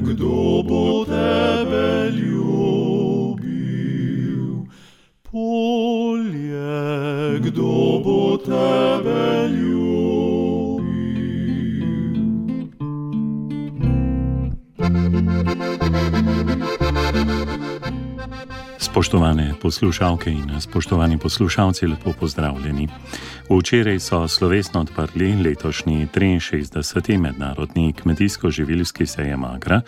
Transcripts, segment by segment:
kdo bo tebe ljubil? Polje, kdo bo tebe ljubil? Spoštovane poslušalke in spoštovani poslušalci, lepo pozdravljeni. Včeraj so slovesno odprli letošnji 63. mednarodni kmetijsko-živilski sejem Agra,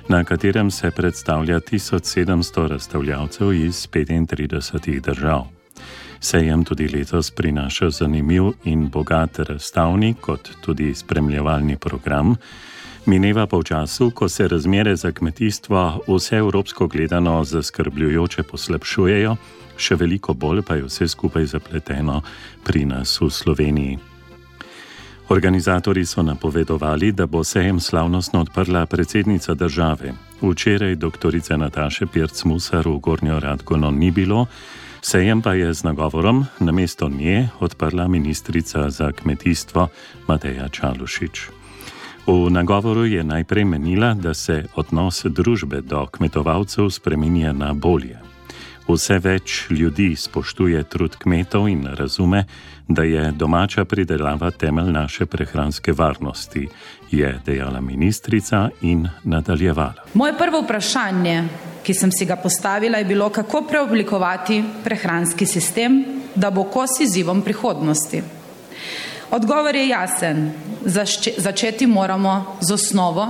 na katerem se predstavlja 1700 razstavljavcev iz 35 držav. Sejem tudi letos prinaša zanimiv in bogat razstavni, kot tudi spremljevalni program. Mineva pa v času, ko se razmere za kmetijstvo vse evropsko gledano zaskrbljujoče poslabšujejo, še veliko bolj pa je vse skupaj zapleteno pri nas v Sloveniji. Organizatorji so napovedovali, da bo sejem slavnostno odprla predsednica države. Včeraj doktorice Nataše Pirc-Musar v Gornjo Radgono ni bilo, sejem pa je z nagovorom namesto nje odprla ministrica za kmetijstvo Mateja Čalušić. V nagovoru je najprej menila, da se odnos družbe do kmetovalcev spreminja na bolje. Vse več ljudi spoštuje trud kmetov in razume, da je domača pridelava temelj naše prehranske varnosti, je dejala ministrica in nadaljevala. Moje prvo vprašanje, ki sem si ga postavila, je bilo, kako preoblikovati prehranski sistem, da bo kos izzivom prihodnosti. Odgovor je jasen. Začeti moramo z osnovo,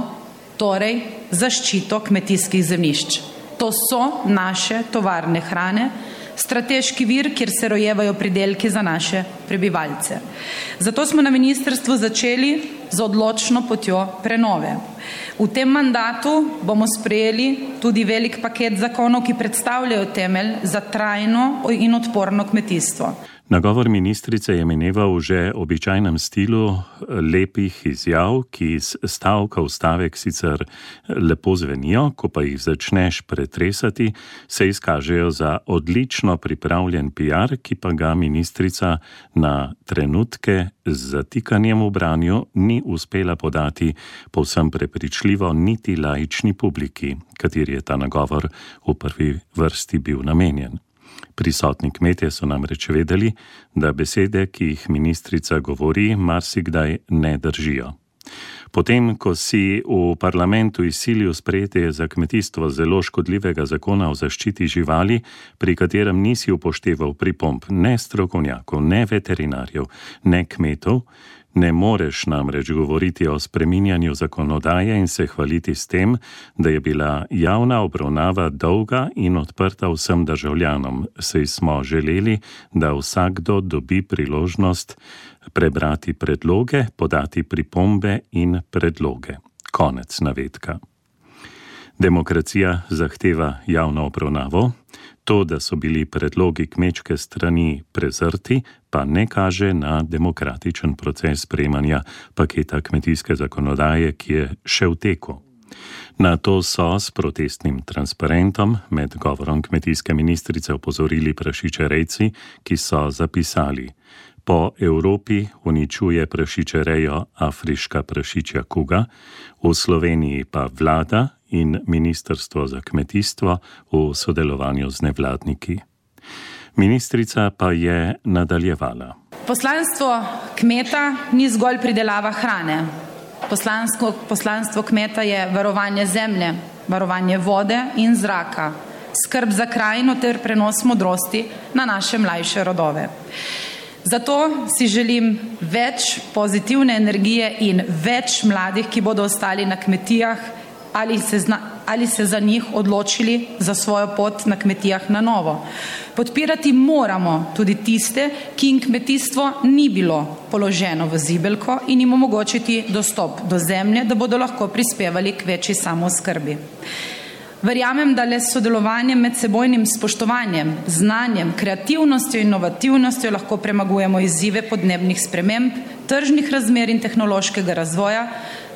torej zaščito kmetijskih zemljišč. To so naše tovarne hrane, strateški vir, kjer se rojevajo pridelki za naše prebivalce. Zato smo na ministrstvu začeli z odločno potjo prenove. V tem mandatu bomo sprejeli tudi velik paket zakonov, ki predstavljajo temelj za trajno in odporno kmetijstvo. Nagovor ministrice je mineval v že običajnem stilu lepih izjav, ki iz stavka v stavek sicer lepo zvenijo, ko pa jih začneš pretresati, se izkažejo za odlično pripravljen PR, ki pa ga ministrica na trenutke z zatikanjem v branju ni uspela podati povsem prepričljivo niti laični publiki, kateri je ta nagovor v prvi vrsti bil namenjen. Prisotni kmetje so namreč vedeli, da besede, ki jih ministrica govori, marsikdaj ne držijo. Potem, ko si v parlamentu izsilil sprejetje za kmetijstvo zelo škodljivega zakona o zaščiti živali, pri katerem nisi upošteval pripomb ne strokovnjakov, ne veterinarjev, ne kmetov, ne moreš namreč govoriti o spreminjanju zakonodaje in se hvaliti s tem, da je bila javna obravnava dolga in odprta vsem državljanom, saj smo želeli, da vsakdo dobi priložnost prebrati predloge, podati pripombe in predloge. Konec navedka. Demokracija zahteva javno obravnavo. To, da so bili predlogi kmečke strani prezrti, pa ne kaže na demokratičen proces sprejemanja paketa kmetijske zakonodaje, ki je še v teku. Na to so s protestnim transparentom med govorom kmetijske ministrice opozorili prašičerejci, ki so zapisali: po Evropi uničuje prašičerejo afriška prašičja kuga, v Sloveniji pa vlada in Ministrstvo za kmetijstvo v sodelovanju z nevladniki. Ministrica pa je nadaljevala. Poslanstvo kmeta ni zgolj pridelava hrane. Poslanstvo kmeta je varovanje zemlje, varovanje vode in zraka, skrb za krajino ter prenos modrosti na naše mlajše rodove. Zato si želim več pozitivne energije in več mladih, ki bodo ostali na kmetijah ali se za njih odločili za svojo pot na kmetijah na novo. Podpirati moramo tudi tiste, ki jim kmetijstvo ni bilo položeno v zibelko, in jim omogočiti dostop do zemlje, da bodo lahko prispevali k večji samooskrbi. Verjamem, da le s sodelovanjem, medsebojnim spoštovanjem, znanjem, kreativnostjo in inovativnostjo lahko premagujemo izzive podnebnih sprememb, tržnih razmer in tehnološkega razvoja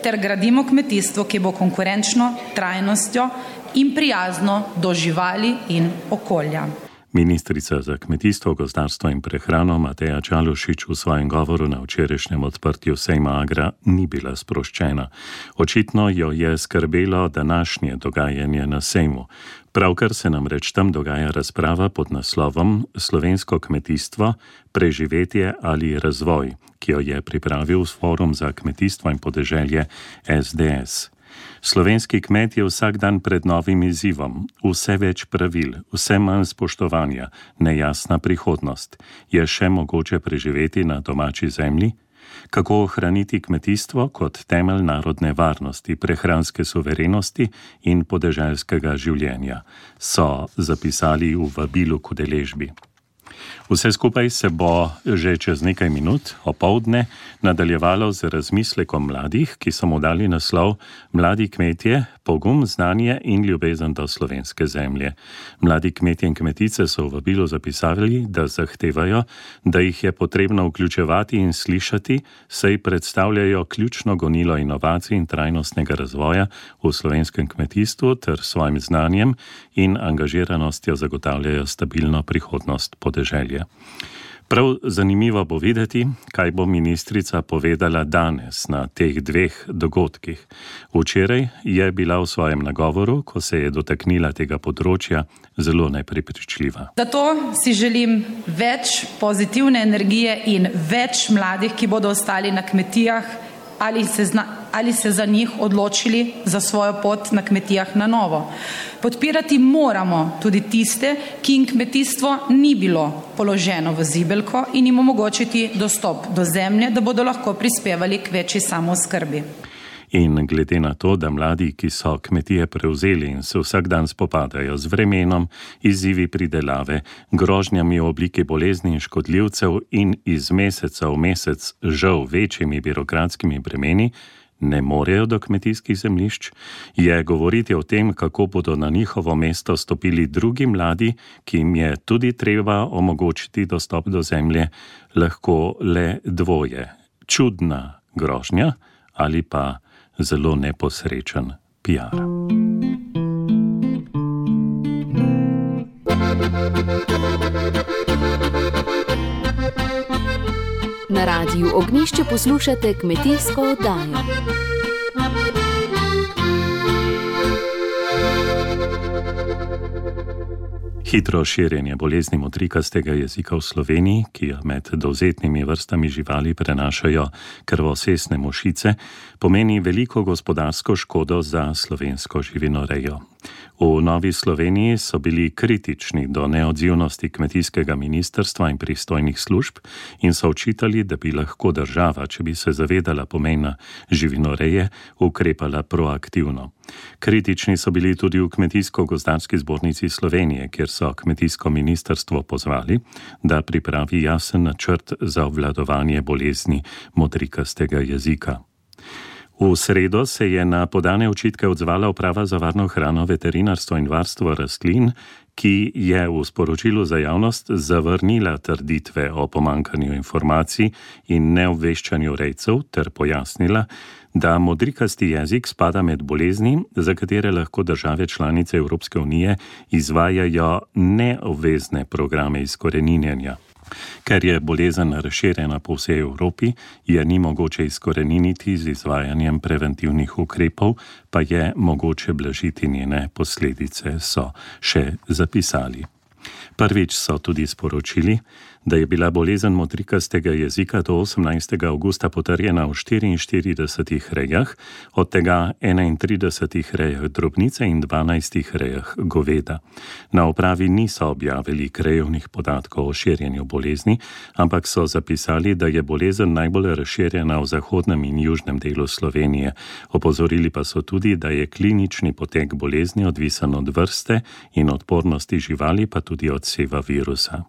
ter gradimo kmetijstvo, ki bo konkurenčno, trajnostjo in prijazno do živali in okolja. Ministrica za kmetijstvo, gozdarstvo in prehrano Mateja Čalušić v svojem govoru na včerajšnjem odprtju sejma Agra ni bila sproščena. Očitno jo je skrbelo današnje dogajanje na sejmu. Pravkar se namreč tam dogaja razprava pod naslovom Slovensko kmetijstvo, preživetje ali razvoj, ki jo je pripravil Forum za kmetijstvo in podeželje SDS. Slovenski kmet je vsak dan pred novim izzivom, vse več pravil, vse manj spoštovanja, nejasna prihodnost. Je še mogoče preživeti na domači zemlji? Kako ohraniti kmetijstvo kot temelj narodne varnosti, prehranske suverenosti in podeželskega življenja, so zapisali v vabilu k udeležbi. Vse skupaj se bo že čez nekaj minut, opoldne, nadaljevalo z razmislekom mladih, ki so mu dali naslov Mladi kmetje, pogum, znanje in ljubezen do slovenske zemlje. Mladi kmetje in kmetice so v vabilu zapisali, da zahtevajo, da jih je potrebno vključevati in slišati, saj predstavljajo ključno gonilo inovacij in trajnostnega razvoja v slovenskem kmetijstvu ter svojim znanjem in angažiranostjo zagotavljajo stabilno prihodnost podeželja. Prav zanimivo bo videti, kaj bo ministrica povedala danes na teh dveh dogodkih. Včeraj je bila v svojem nagovoru, ko se je dotaknila tega področja, zelo neprepričljiva. Zato si želim več pozitivne energije in več mladih, ki bodo ostali na kmetijah ali se za njih odločili za svojo pot na kmetijah na novo. Podpirati moramo tudi tiste, ki jim kmetijstvo ni bilo položeno v zibelko in jim omogočiti dostop do zemlje, da bodo lahko prispevali k večji samooskrbi. In glede na to, da mladi, ki so kmetije prevzeli in se vsak dan spopadajo z vremenom, izzivi pridelave, grožnjami v obliki bolezni in škodljivcev in iz meseca v mesec žal večjimi birokratskimi bremeni, ne morejo do kmetijskih zemljišč, je govoriti o tem, kako bodo na njihovo mesto stopili drugi mladi, ki jim je tudi treba omogočiti dostop do zemlje, lahko le dvoje. Čudna grožnja ali pa zelo neposrečen PR. Na Radiu Ognjišče poslušate kmetijsko oddajo. Hitro širjenje bolezni modrikastega jezika v Sloveniji, ki jo med dovzetnimi vrstami živali prenašajo krvosesne mušice, pomeni veliko gospodarsko škodo za slovensko živinorejo. V Novi Sloveniji so bili kritični do neodzivnosti kmetijskega ministrstva in pristojnih služb in so očitali, da bi lahko država, če bi se zavedala pomena živinoreje, ukrepala proaktivno. Kritični so bili tudi v Kmetijsko-gozdarski zbornici Slovenije, kjer so kmetijsko ministrstvo pozvali, da pripravi jasen načrt za obvladovanje bolezni modrikastega jezika. V sredo se je na podane očitke odzvala Uprava za varno hrano, veterinarstvo in varstvo rastlin, ki je v sporočilu za javnost zavrnila trditve o pomanjkanju informacij in neobveščanju rejcev ter pojasnila, da modrikasti jezik spada med bolezni, za katere lahko države članice Evropske unije izvajajo neobvezne programe izkoreninjenja. Ker je bolezen razširjena po vsej Evropi, je ni mogoče izkoreniniti z izvajanjem preventivnih ukrepov, pa je mogoče blažiti njene posledice, so še zapisali. Prvič so tudi sporočili, da je bila bolezen modrikastega jezika do 18. avgusta potrjena v 44 rejah, od tega 31 rejah drobnice in 12 rejah goveda. Na upravi niso objavili krajevnih podatkov o širjenju bolezni, ampak so zapisali, da je bolezen najbolj razširjena v zahodnem in južnem delu Slovenije. Opozorili pa so tudi, da je klinični potek bolezni odvisen od vrste in odpornosti živali, pa tudi od seva virusa.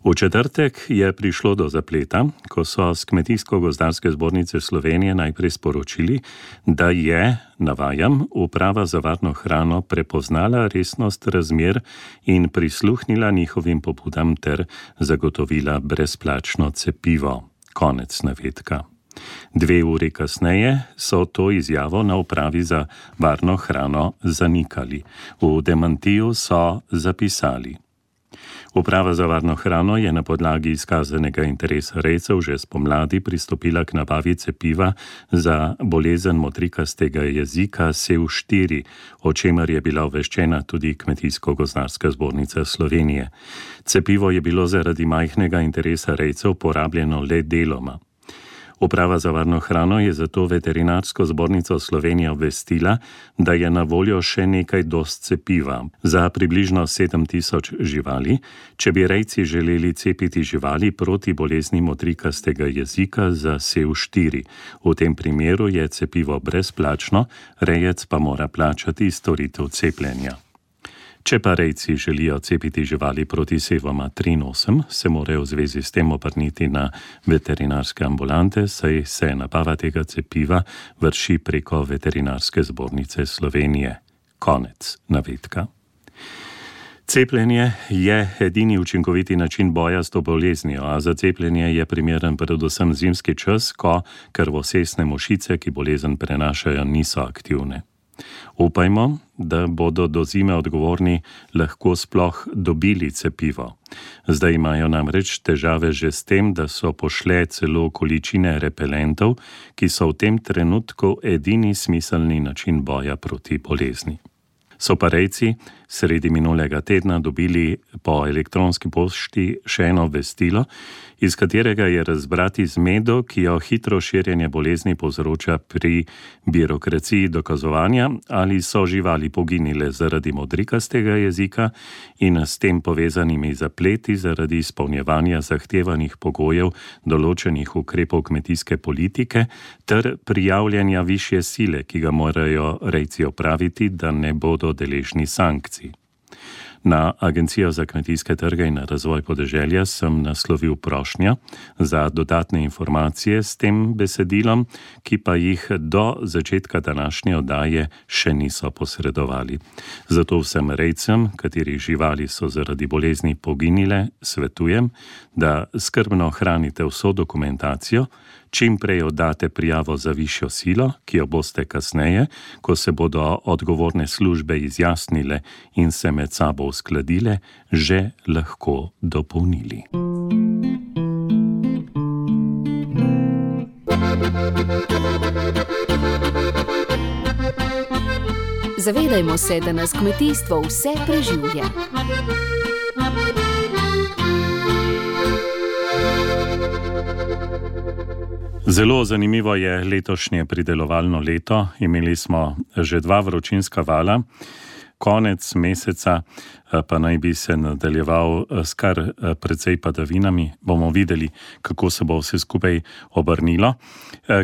V četrtek je prišlo do zapleta, ko so s Kmetijsko-gozdarske zbornice Slovenije najprej sporočili, da je, navajam, Uprava za varno hrano prepoznala resnost razmer in prisluhnila njihovim pobudam ter zagotovila brezplačno cepivo. Konec navedka. 2 uri kasneje so to izjavo na Upravi za varno hrano zanikali. V demantiju so zapisali: Uprava za varno hrano je na podlagi izkazanega interesa rejcev že spomladi pristopila k nabavi cepiva za bolezen motrikastega jezika SEV4, o čemer je bila obveščena tudi Kmetijsko-gozdarska zbornica Slovenije. Cepivo je bilo zaradi majhnega interesa rejcev porabljeno le deloma. Uprava za varno hrano je zato Veterinarsko zbornico Slovenije obvestila, da je na voljo še nekaj doz cepiva za približno 7000 živali, če bi rejci želeli cepiti živali proti bolezni motrikastega jezika za SEV4. V tem primeru je cepivo brezplačno, rejec pa mora plačati storitev cepljenja. Če pa rejci želijo cepiti živali proti sevoma 3,8, se morajo v zvezi s tem obrniti na veterinarske ambulante, saj se nabava tega cepiva vrši preko Veterinarske zbornice Slovenije. Konec navedka. Cepljenje je edini učinkoviti način boja s to boleznijo, a za cepljenje je primeren predvsem zimski čas, ko krvosesne mušice, ki bolezen prenašajo, niso aktivne. Upajmo, da bodo do zime odgovorni lahko sploh dobili cepivo. Zdaj imajo namreč težave že s tem, da so pošle celo količine repelentov, ki so v tem trenutku edini smiselni način boja proti bolezni. So pa rejci sredi minulega tedna dobili po elektronski pošti še eno obvestilo, iz katerega je razbrati zmedo, ki jo hitro širjenje bolezni povzroča pri birokraciji dokazovanja, ali so živali poginile zaradi modrikastega jezika in s tem povezanimi zapleti zaradi izpolnjevanja zahtevanih pogojev določenih ukrepov kmetijske politike ter prijavljanja višje sile, ki ga morajo rejci opraviti, da ne bodo deležni sankcij. Na Agencijo za kmetijske trge in razvoj podeželja sem naslovil prošnjo za dodatne informacije s tem besedilom, ki pa jih do začetka današnje oddaje še niso posredovali. Zato vsem rejcem, katerih živali so zaradi bolezni poginile, svetujem, da skrbno hranite vso dokumentacijo, čim prej oddate prijavo za višjo silo, ki jo boste kasneje, ko se bodo odgovorne službe izjasnile in se med sabo uskladile, že lahko dopolnili. Zavedajmo se, da nas kmetijstvo vse preživlja. Zelo zanimivo je letošnje pridelovalno leto. Imeli smo že 2 vročinska vala, konec meseca pa naj bi se nadaljeval s kar precej padavinami. Bomo videli, kako se bo vse skupaj obrnilo.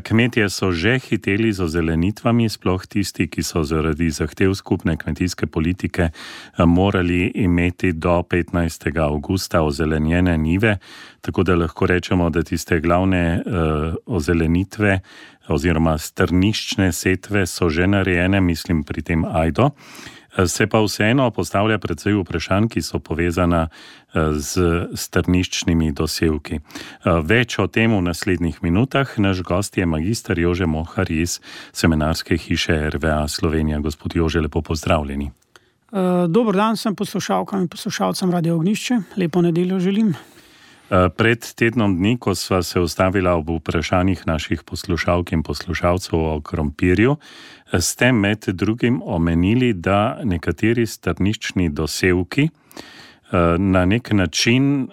Kmetje so že hiteli z ozelenitvami, sploh tisti, ki so zaradi zahtev skupne kmetijske politike morali imeti do 15. avgusta ozelenjene njive, tako da lahko rečemo, da tiste glavne ozelenitve oziroma strniščne setve so že narejene, mislim pri tem ajdo. Se pa vseeno postavlja precej vprašanj, ki so povezana z strniščnimi dosevki. Več o tem v naslednjih minutah. Naš gost je magister Jože Mohar iz semenarske hiše RVA Slovenija. Gospod Jože, lepo pozdravljeni. Dober dan sem poslušalkam in poslušalcem Radio Ognjišče. Lepo nedeljo želim. Pred tednom dni, ko sva se ustavila ob vprašanjih naših poslušalk in poslušalcev o krompirju, ste med drugim omenili, da nekateri strniščni dosevki na nek način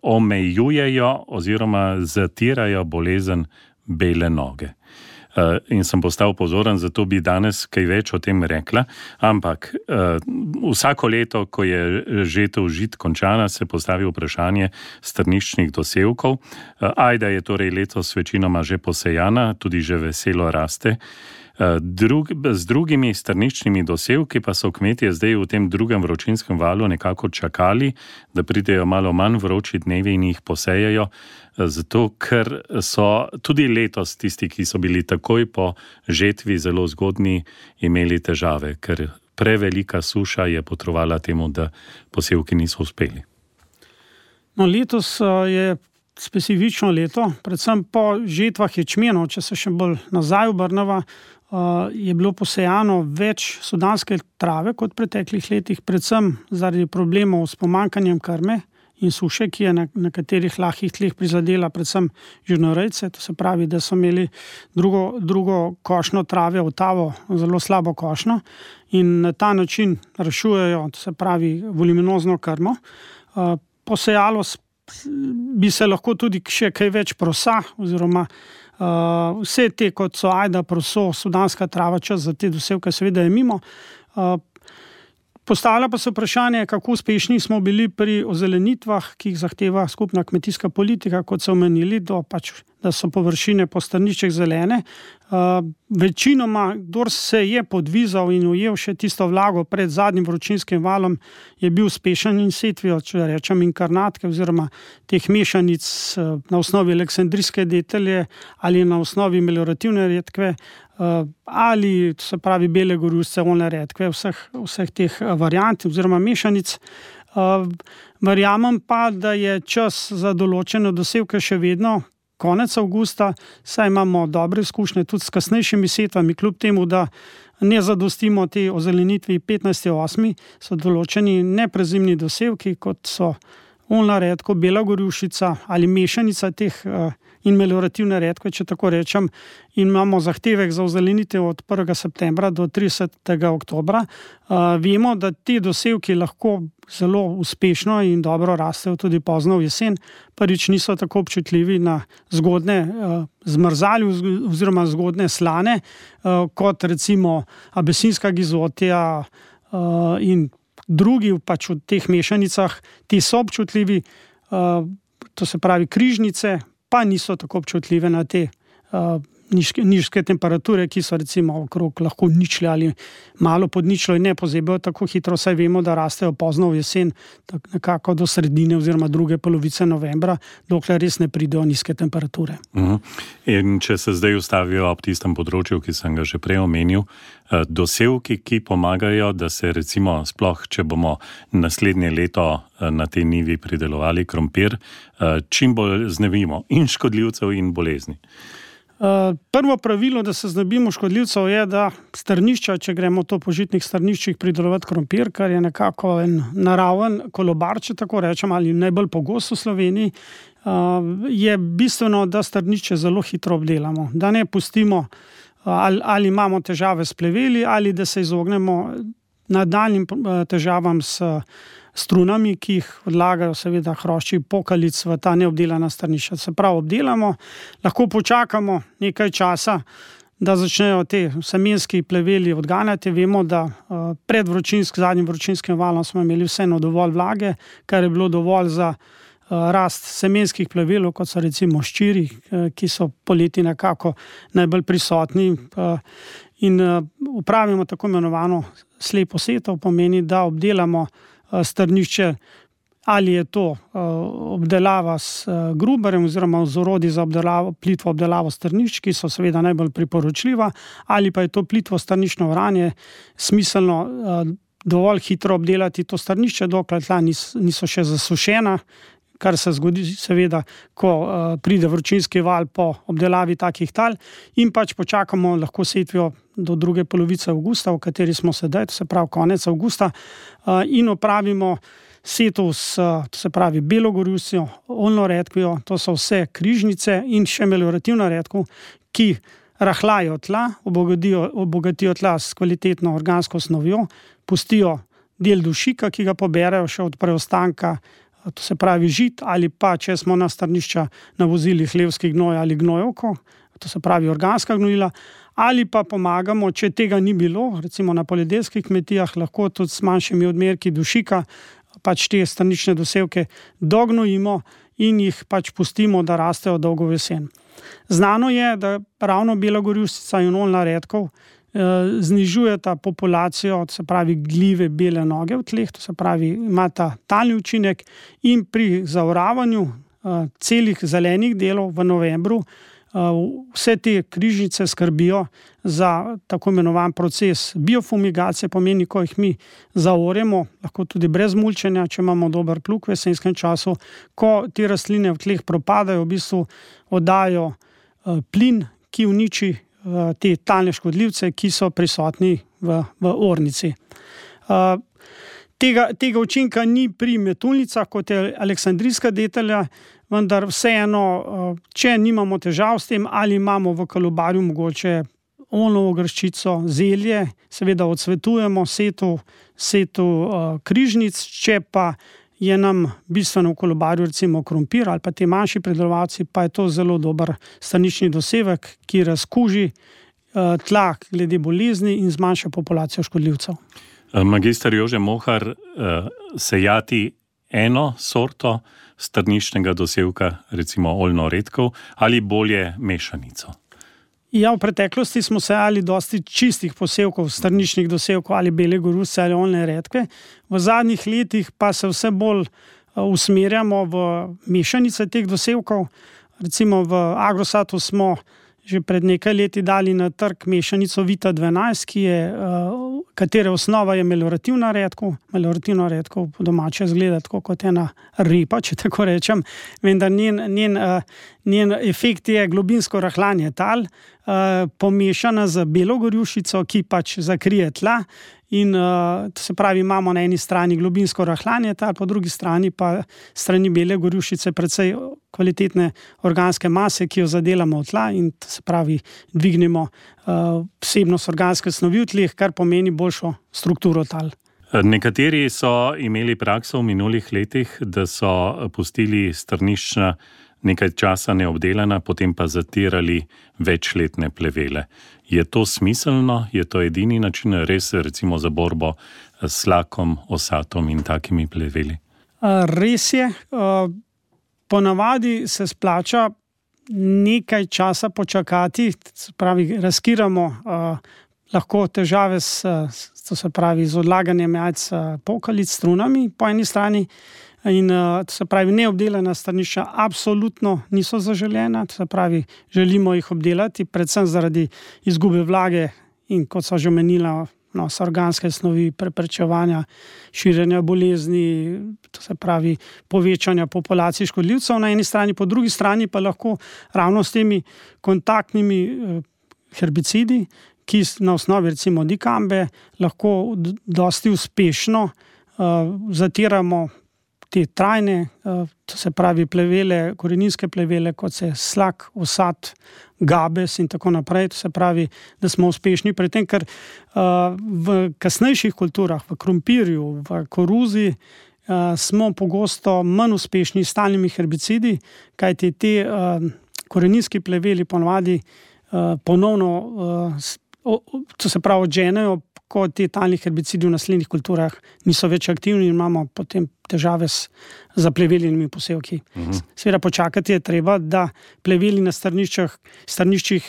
omejujejo oziroma zatirajo bolezen bele noge. In sem postal pozoren, zato bi danes kaj več o tem rekla, ampak vsako leto, ko je žetev žit končana, se postavi vprašanje strniščnih dosevkov. Ajda je torej letos večinoma že posejana, tudi že veselo raste. Z drugimi strniščnimi dosevki pa so kmetje zdaj v tem drugem vročinskem valu nekako čakali, da pridejo malo manj vroči dnevi in jih posejajo, zato ker so tudi letos tisti, ki so bili takoj po žetvi zelo zgodni, imeli težave, ker prevelika suša je potrovala temu, da posevki niso uspeli. No, letos je specifično leto, predvsem po žetvah ječmenov, če se še bolj nazaj obrneva, je bilo posejano več sudanske trave kot v preteklih letih, predvsem zaradi problemov s pomanjkanjem krme, in suše, ki je na nekaterih lahkih tleh prizadela predvsem živinorejce, to se pravi, da so imeli drugo košnjo trave, otavo, zelo slabo košnjo in na ta način rešujejo, to se pravi, voluminozno krmo. Posejalo bi se lahko tudi še kaj več prosa oziroma vse te, kot so ajda, proso, sudanska trava, čas za te dosevke seveda je mimo. Postavlja pa se vprašanje, kako uspešni smo bili pri ozelenitvah, ki jih zahteva skupna kmetijska politika, kot so omenili, da so površine po strniščih zelene. Večinoma, kdor se je podvizal in ujel še tisto vlago pred zadnjim vročinskim valom, je bil uspešen in setvijo, če rečem, inkarnatke oziroma teh mešanic na osnovi aleksandrijske detelje ali na osnovi meliorativne redkve ali, to se pravi, bele gorjušce, oljne redkve, vseh teh variant oziroma mešanic. Verjamem pa, da je čas za določene dosevke še vedno konec avgusta, saj imamo dobre izkušnje tudi s kasnejšimi setvami, kljub temu, da ne zadostimo te ozelenitvi 15.8., so določeni neprezimni dosevki, kot so oljna redko, bela gorjušica ali mešanica teh in meliorativne redkve, če tako rečem, in imamo zahtevek za ozelenitev od 1. septembra do 30. oktobra. Vemo, da ti dosevki lahko zelo uspešno in dobro rastejo tudi pozno v jesen. Prvič niso tako občutljivi na zgodne zmrzali oziroma zgodne slane, kot recimo abesinska gizotija in drugi pač v teh mešanicah. Ti so občutljivi, to se pravi križnice, pa niso tako občutljive na te nizke temperature, ki so recimo okrog lahko ničle ali malo pod ničlo in ne pozebijo tako hitro, saj vemo, da rastejo pozno v jesen, nekako do sredine oziroma druge polovice novembra, dokler res ne pridejo nizke temperature. In če se zdaj ustavijo ob tistem področju, ki sem ga že prej omenil, dosevki, ki pomagajo, da se recimo sploh, če bomo naslednje leto na tej nivi pridelovali krompir, čim bolj znebimo in škodljivcev in bolezni. Prvo pravilo, da se znebimo škodljivcev, je, da strnišča, če gremo to po žitnih strniščih pridelovati krompir, kar je nekako en naraven kolobar, če tako rečem, ali najbolj pogost v Sloveniji, je bistveno, da strnišče zelo hitro obdelamo, da ne pustimo ali imamo težave s pleveli ali da se izognemo nadaljnjim težavam s strunami, ki jih odlagajo seveda hrošči pokalic v ta neobdelana strnišča. Se pravi, obdelamo, lahko počakamo nekaj časa, da začnejo te semenski pleveli odganjati. Vemo, da pred zadnjim vročinskim valom smo imeli vseeno dovolj vlage, kar je bilo dovolj za rast semenskih plevelov, kot so recimo ščiri, ki so poleti nekako najbolj prisotni, in upravimo tako imenovano slepo setev, pomeni, da obdelamo strnišče, ali je to obdelava s gruberjem oziroma z orodji za plitvo obdelavo strnišč, ki so seveda najbolj priporočljiva, ali pa je to plitvo strniščno oranje, smiselno dovolj hitro obdelati to strnišče, dokler tla niso še zasušena, kar se zgodi seveda, ko pride vročinski val po obdelavi takih tal, in pač počakamo lahko setvijo do druge polovice avgusta, v kateri smo sedaj, to se pravi konec avgusta, in opravimo setov s, to se pravi, belo gorjušcijo, oljno redkvijo, to so vse križnice in še meliorativna redkev, ki rahljajo tla, obogatijo tla s kvalitetno organsko snovjo, pustijo del dušika, ki ga poberejo še od preostanka, to se pravi žit, ali pa če smo na strnišča navozili hlevski gnoj ali gnojevko, to se pravi organska gnojila, ali pa pomagamo, če tega ni bilo, recimo na poljedelskih kmetijah, lahko tudi s manjšimi odmerki dušika, pač te strnične dosevke dognojimo in jih pač pustimo, da rastejo dolgo v jesen. Znano je, da ravno bela gorjuščica in oljna redkev znižujeta populacijo, to se pravi gljive bele noge v tleh, to se pravi imata talni učinek, in pri zaoravanju celih zelenih delov v novembru vse te križnice skrbijo za tako imenovan proces biofumigacije, pomeni, ko jih mi zaoremo, lahko tudi brez mulčenja, če imamo dober plug v jesenskem času, ko te rastline v tleh propadajo, v bistvu oddajo plin, ki uniči te talne škodljivce, ki so prisotni v ornici. Tega učinka ni pri metulnicah, kot je aleksandrijska detelja, vendar vseeno, če nimamo težav s tem ali imamo v kolobarju mogoče olnovo grščico, zelje, seveda odsvetujemo setu križnic, če pa je nam bistveno v kolobarju recimo krompir ali pa te manjši pridelovalci, pa je to zelo dober stranični dosevek, ki razkuži tla glede bolezni in zmanjša populacijo škodljivcev. Magister Jože Mohar, sejati eno sorto strniščnega dosevka, recimo oljno redkev, ali bolje mešanico? Ja, v preteklosti smo sejali dosti čistih posevkov, strničnih dosevkov ali bele goruse ali oljne redke. V zadnjih letih pa se vse bolj usmerjamo v mešanice teh dosevkov. Recimo v Agrosatu smo že pred nekaj leti dali na trg mešanico Vita 12, katere osnova je meliorativna redkev. Meliorativna redkev po domače izgleda tako kot ena repa, če tako rečem, vendar njen efekt je globinsko rahljanje tal, pomešana z belo gorjušico, ki pač zakrije tla. In se pravi, imamo na eni strani globinsko rahljanje tal, po drugi strani pa strani bele gorjušice precej kvalitetne organske mase, ki jo zadelamo v tla in se pravi, dvignemo vsebnost organske snovi v tleh, kar pomeni boljšo strukturo tal. Nekateri so imeli prakso v minulih letih, da so pustili strnišča nekaj časa neobdelana, potem pa zatirali večletne plevele. Je to smiselno? Je to edini način res recimo za borbo s slakom, osatom in takimi pleveli? Res je. Ponavadi se splača nekaj časa počakati, se pravi, razkiramo lahko težave z odlaganjem jajc pokalic, strunami po eni strani. In se pravi, neobdelana strnišča absolutno niso zaželena, se pravi, želimo jih obdelati, predvsem zaradi izgube vlage in kot so že omenila, so organske snovi, preprečevanja širjenja bolezni, to se pravi, povečanja populacij škodljivcev na eni strani, po drugi strani pa lahko ravno s temi kontaktnimi herbicidi, ki na osnovi recimo dikambe lahko dosti uspešno zatiramo te trajne, to se pravi plevele, koreninske plevele, kot se slak, osat, gabes in tako naprej. To se pravi, da smo uspešni pri tem, ker v kasnejših kulturah, v krompirju, v koruzi, smo pogosto manj uspešni s stalnimi herbicidi, kajti te koreninski pleveli ponovadi ponovno, to se pravi, odženejo, ko ti talni herbicidi v naslednjih kulturah niso več aktivni in imamo potem težave z zapleveljenimi posevki. Seveda počakati je treba, da pleveli na strniščih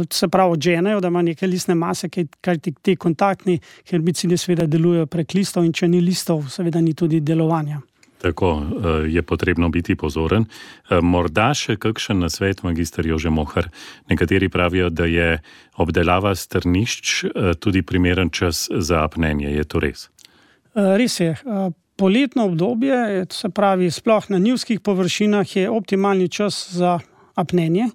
se pravi odženejo, da ima neke listne mase, ker te kontaktni herbicidi seveda delujejo prek listov in če ni listov, seveda ni tudi delovanja. Tako je potrebno biti pozoren. Morda še kakšen nasvet, magister Jože Mohar. Nekateri pravijo, da je obdelava strnišč tudi primeren čas za apnenje. Je to res? Res je. Poletno obdobje, se pravi, sploh na njivskih površinah je optimalni čas za apnenje.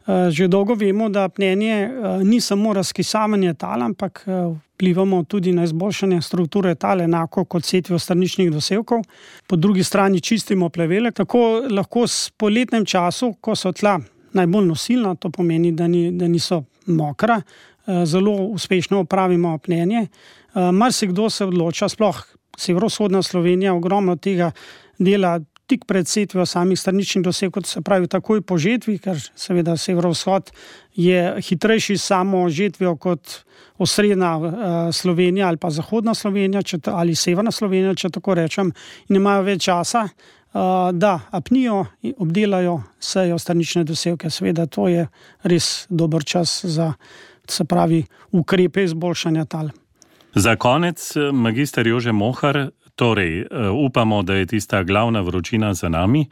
Že dolgo vemo, da apnenje ni samo razkisavanje tal, ampak vplivamo tudi na izboljšanje strukture tal, enako kot setvijo strničnih dosevkov. Po drugi strani čistimo plevele, tako lahko s poletnem času, ko so tla najbolj nosilna, to pomeni, da niso mokra, zelo uspešno opravimo apnenje. Marsikdo se odloča, sploh severovzhodna Slovenija, ogromno tega dela tik pred setvijo samih strničnih dosevkov, se pravi takoj po žetvi, ker seveda severovzhod je hitrejši samo žetvijo kot osrednja Slovenija ali pa zahodna Slovenija ali severna Slovenija, če tako rečem, in imajo več časa, da apnijo in obdelajo sejo strnične dosevke. Seveda to je res dober čas za, se pravi, ukrepe izboljšanja tal. Za konec, magister Jože Mohar, torej, upamo, da je tista glavna vročina za nami.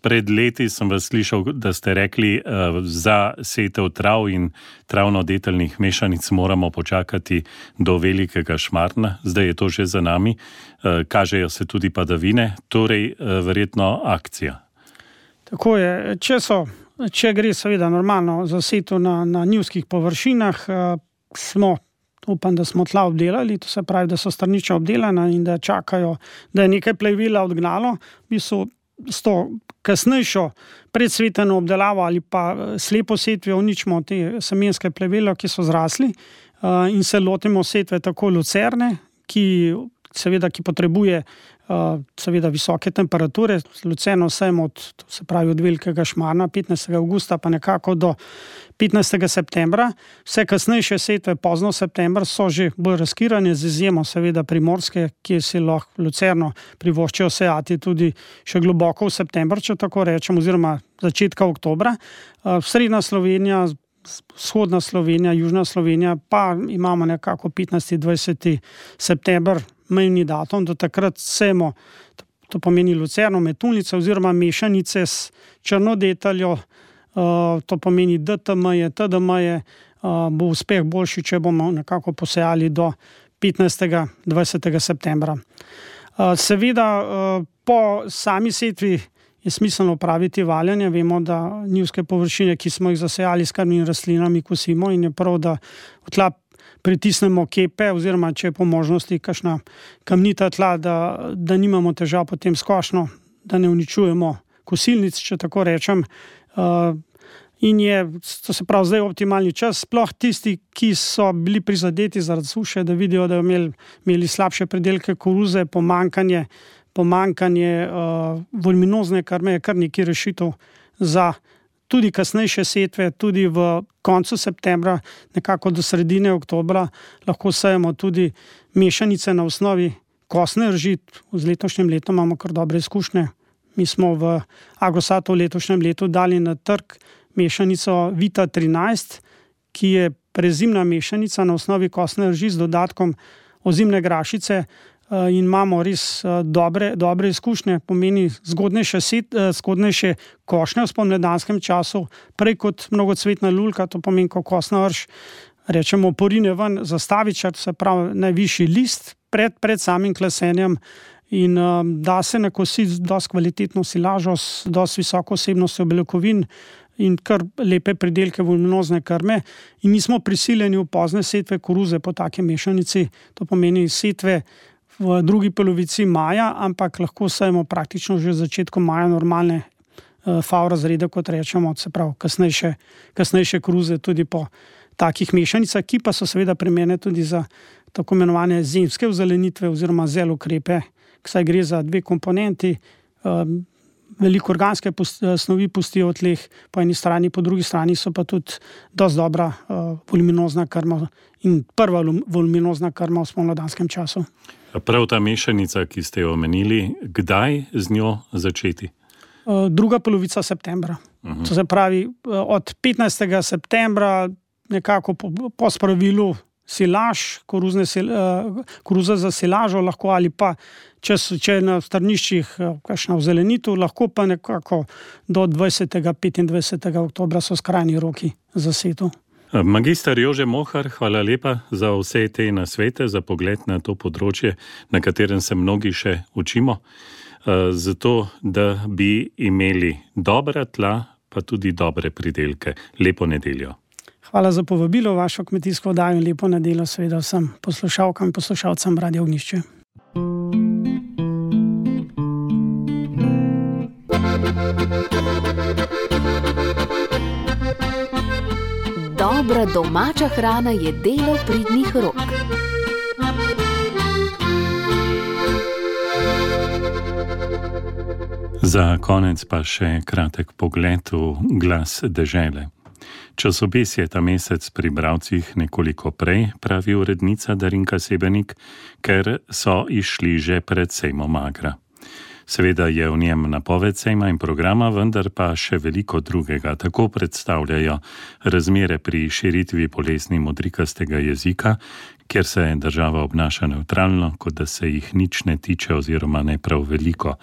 Pred leti sem vas slišal, da ste rekli, za setev trav in travno-deteljnih mešanic moramo počakati do velikega šmartna. Zdaj je to že za nami. Kažejo se tudi padavine, torej verjetno akcija. Tako je. Če gre seveda normalno za setev na njivskih površinah, smo upam, da smo tla obdelali, to se pravi, da so strnišča obdelana in da čakajo, da je nekaj plevela odgnalo, v bistvu s to kasnejšo predsveteno obdelavo ali pa slepo setvijo uničimo te semenske plevele, ki so zrasli, in se lotimo setve tako lucerne, ki potrebuje seveda visoke temperature. Lucerno sejemo od velikega šmarna 15. avgusta pa nekako do 15. septembra. Vse kasnejše setve pozno septembra so že bolj razkirane, z izjemo seveda primorske, kjer si lahko lucerno privoščijo sejati tudi še globoko v september, če tako rečem, oziroma začetka oktobra. Srednja Slovenija, vzhodna Slovenija, južna Slovenija pa imamo nekako 15. 20. september, mejni datum, do takrat sejemo, to pomeni lucerno, metulnice oziroma mešanice s črnodeteljo, to pomeni DTM-je, TDM-je, bo uspeh boljši, če bomo nekako posejali do 15. 20. septembra. Seveda po sami setvi je smiselno opraviti valjanje. Vemo, da njivske površine, ki smo jih zasejali s krmnimi rastlinami, kosimo in je prav, da v tla pritisnemo kepe oziroma, če je po možnosti kakšna kamnita tla, da nimamo težav potem s košnjo, da ne uničujemo kosilnic, če tako rečem. In je, to se pravi, zdaj optimalni čas, sploh tisti, ki so bili prizadeti zaradi suše, da vidijo, da imeli slabše pridelke koruze, pomanjkanje voluminozne krme, je kar nekaj rešitev za tudi kasnejše setve, tudi v koncu septembra, nekako do sredine oktobra, lahko sejemo tudi mešanice na osnovi kostne rži. Z letošnjim letom imamo kar dobre izkušnje. Mi smo v Agrosatu v letošnjem letu dali na trg mešanico Vita 13, ki je prezimna mešanica na osnovi kostne rži z dodatkom ozimne grašice, in imamo res dobre izkušnje, pomeni zgodnejše košnje v spomladanskem času, prej kot mnogocvetna lulka, to pomeni, ko kostna rž, rečemo, porine ven zastavičar, to se pravi najvišji list pred samim klesenjem, in da se nakositi dosti kvalitetno silažo s dosti visoko vsebnostjo beljakovin in kar lepe pridelke voluminozne krme, in nismo prisiljeni v pozne setve koruze po take mešanici, to pomeni setve v drugi polovici maja, ampak lahko sejemo praktično že v začetku maja normalne FAO razrede, kot rečemo, se pravi kasnejše koruze tudi po takih mešanicah, ki pa so seveda primerne tudi za tako imenovane zimske ozelenitve oziroma zelokrepe, saj gre za dve komponenti, veliko organske snovi pustijo v tleh po eni strani, po drugi strani so pa tudi dosti dobra voluminozna krma in prva voluminozna krma v spomladanskem času. Prav ta mešanica, ki ste jo omenili, kdaj z njo začeti? Druga polovica septembra. To se pravi, od 15. septembra nekako po spravilu silaž, koruza za silažo lahko, ali pa če je na strniščih kakšna ozelenitev, lahko pa nekako do 20. 25. oktobra so skrajni roki za setev. Magister Jože Mohar, hvala lepa za vse te nasvete, za pogled na to področje, na katerem se mnogi še učimo, zato da bi imeli dobra tla, pa tudi dobre pridelke. Lepo nedeljo. Hvala za povabilo, vašo kmetijsko oddajo, in lepo nedeljo seveda vsem poslušalkam in poslušalcem Radia Ognjišče. Dobra domača hrana je delo pridnih rok. Za konec pa še kratek pogled v Glas dežele. Časopis je ta mesec pri bralcih nekoliko prej, pravi urednica Darinka Sebenik, ker so išli že pred sejmom Agra. Seveda je v njem napoved sejma in programa, vendar pa še veliko drugega. Tako predstavljajo razmere pri širitvi bolezni modrikastega jezika, kjer se država obnaša nevtralno, kot da se jih nič ne tiče oziroma ne prav veliko.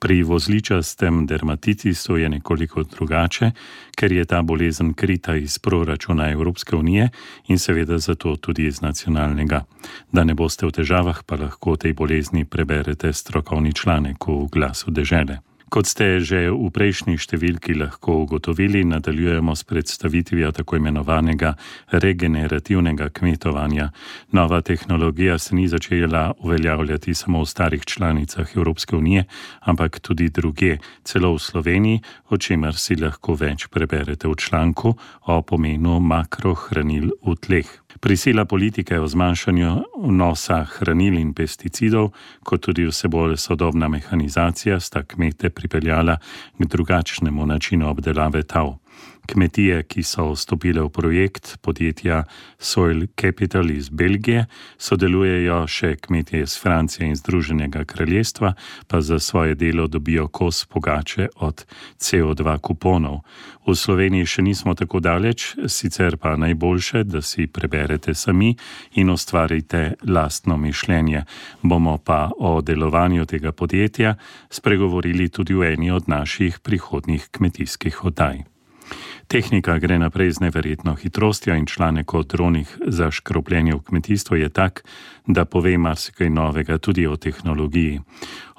Pri vozličastem dermatitisu je nekoliko drugače, ker je ta bolezen krita iz proračuna Evropske unije in seveda zato tudi iz nacionalnega. Da ne boste v težavah, pa lahko tej bolezni preberete strokovni članek v Glasu dežele. Kot ste že v prejšnji številki lahko ugotovili, nadaljujemo s predstavitvijo tako imenovanega regenerativnega kmetovanja. Nova tehnologija se ni začela uveljavljati samo v starih članicah Evropske unije, ampak tudi drugje, celo v Sloveniji, o čemer si lahko več preberete v članku o pomenu makrohranil v tleh. Prisila politike o zmanjšanju vnosa hranil in pesticidov, kot tudi vse bolj sodobna mehanizacija, sta kmete pripeljala k drugačnemu načinu obdelave tal. Kmetije, ki so vstopile v projekt podjetja Soil Capital iz Belgije, sodelujejo še kmetije iz Francije in Združenega kraljestva, pa za svoje delo dobijo kos pogače od CO2 kuponov. V Sloveniji še nismo tako daleč, sicer pa najboljše, da si preberete sami in ustvarite lastno mišljenje. Bomo pa o delovanju tega podjetja spregovorili tudi v eni od naših prihodnjih kmetijskih oddaj. Tehnika gre naprej z neverjetno hitrostjo in članek o dronih za škropljenje v kmetijstvu je tak, da pove marsikaj novega tudi o tehnologiji.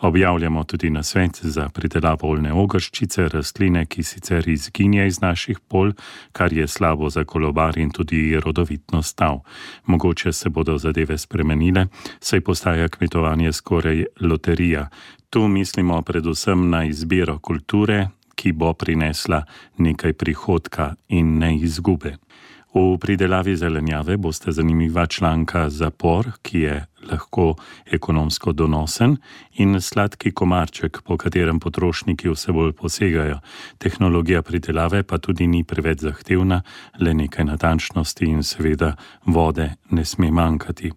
Objavljamo tudi nasvet za pridelavo oljne ogrščice, rastline, ki sicer izginja iz naših polj, kar je slabo za kolobar in tudi rodovitnost tal. Mogoče se bodo zadeve spremenile, saj postaja kmetovanje skoraj loterija. Tu mislimo predvsem na izbiro kulture, ki bo prinesla nekaj prihodka in ne izgube. V pridelavi zelenjave boste zanimiva članka Zapor, ki je lahko ekonomsko donosen, in Sladki komarček, po katerem potrošniki vse bolj posegajo. Tehnologija pridelave pa tudi ni preveč zahtevna, le nekaj natančnosti in seveda vode ne sme manjkati.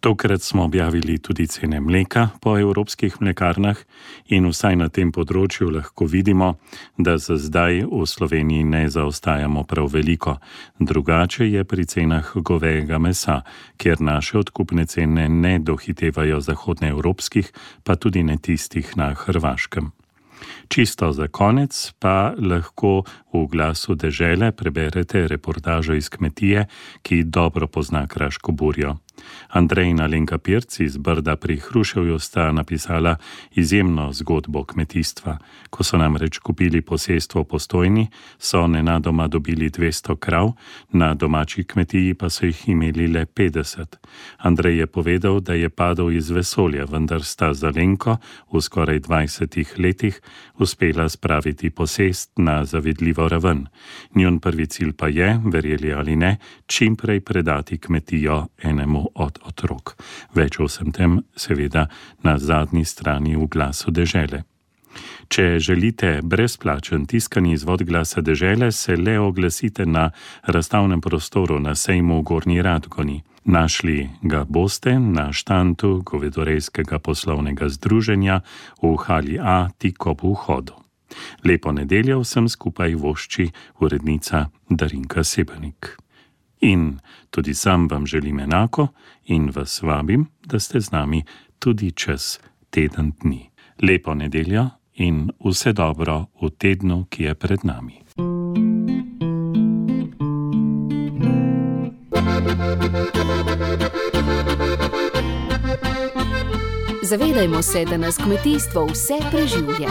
Tokrat smo objavili tudi cene mleka po evropskih mlekarnah in vsaj na tem področju lahko vidimo, da za zdaj v Sloveniji ne zaostajamo prav veliko. Drugače je pri cenah govejega mesa, kjer naše odkupne cene ne dohitevajo zahodnoevropskih, pa tudi ne tistih na Hrvaškem. Čisto za konec pa lahko v Glasu dežele preberete reportažo iz kmetije, ki dobro pozna Kraško burjo. Andrej in Alenka Pirc iz Brda pri Hruševju sta napisala izjemno zgodbo kmetijstva. Ko so namreč kupili posestvo v Postojni, so nenadoma dobili 200 krav, na domači kmetiji pa so jih imeli le 50. Andrej je povedal, da je padel iz vesolja, vendar sta z Alenko v skoraj 20 letih uspela spraviti posest na zavidljivo raven. Njun prvi cilj pa je, verjeli ali ne, čimprej predati kmetijo enemu od otrok. Več o vsem tem seveda na zadnji strani v Glasu dežele. Če želite brezplačen tiskani izvod Glasa dežele, se le oglasite na razstavnem prostoru na sejmu v Gornji Radgoni. Našli ga boste na štandu Govedorejskega poslovnega združenja v hali A tik ob vhodu. Lepo nedeljo vsem skupaj vošči urednica Darinka Sebenik. In tudi sam vam želim enako in vas vabim, da ste z nami tudi čez teden dni. Lepo nedeljo in vse dobro v tednu, ki je pred nami. Zavedajmo se, da nas kmetijstvo vse preživlja.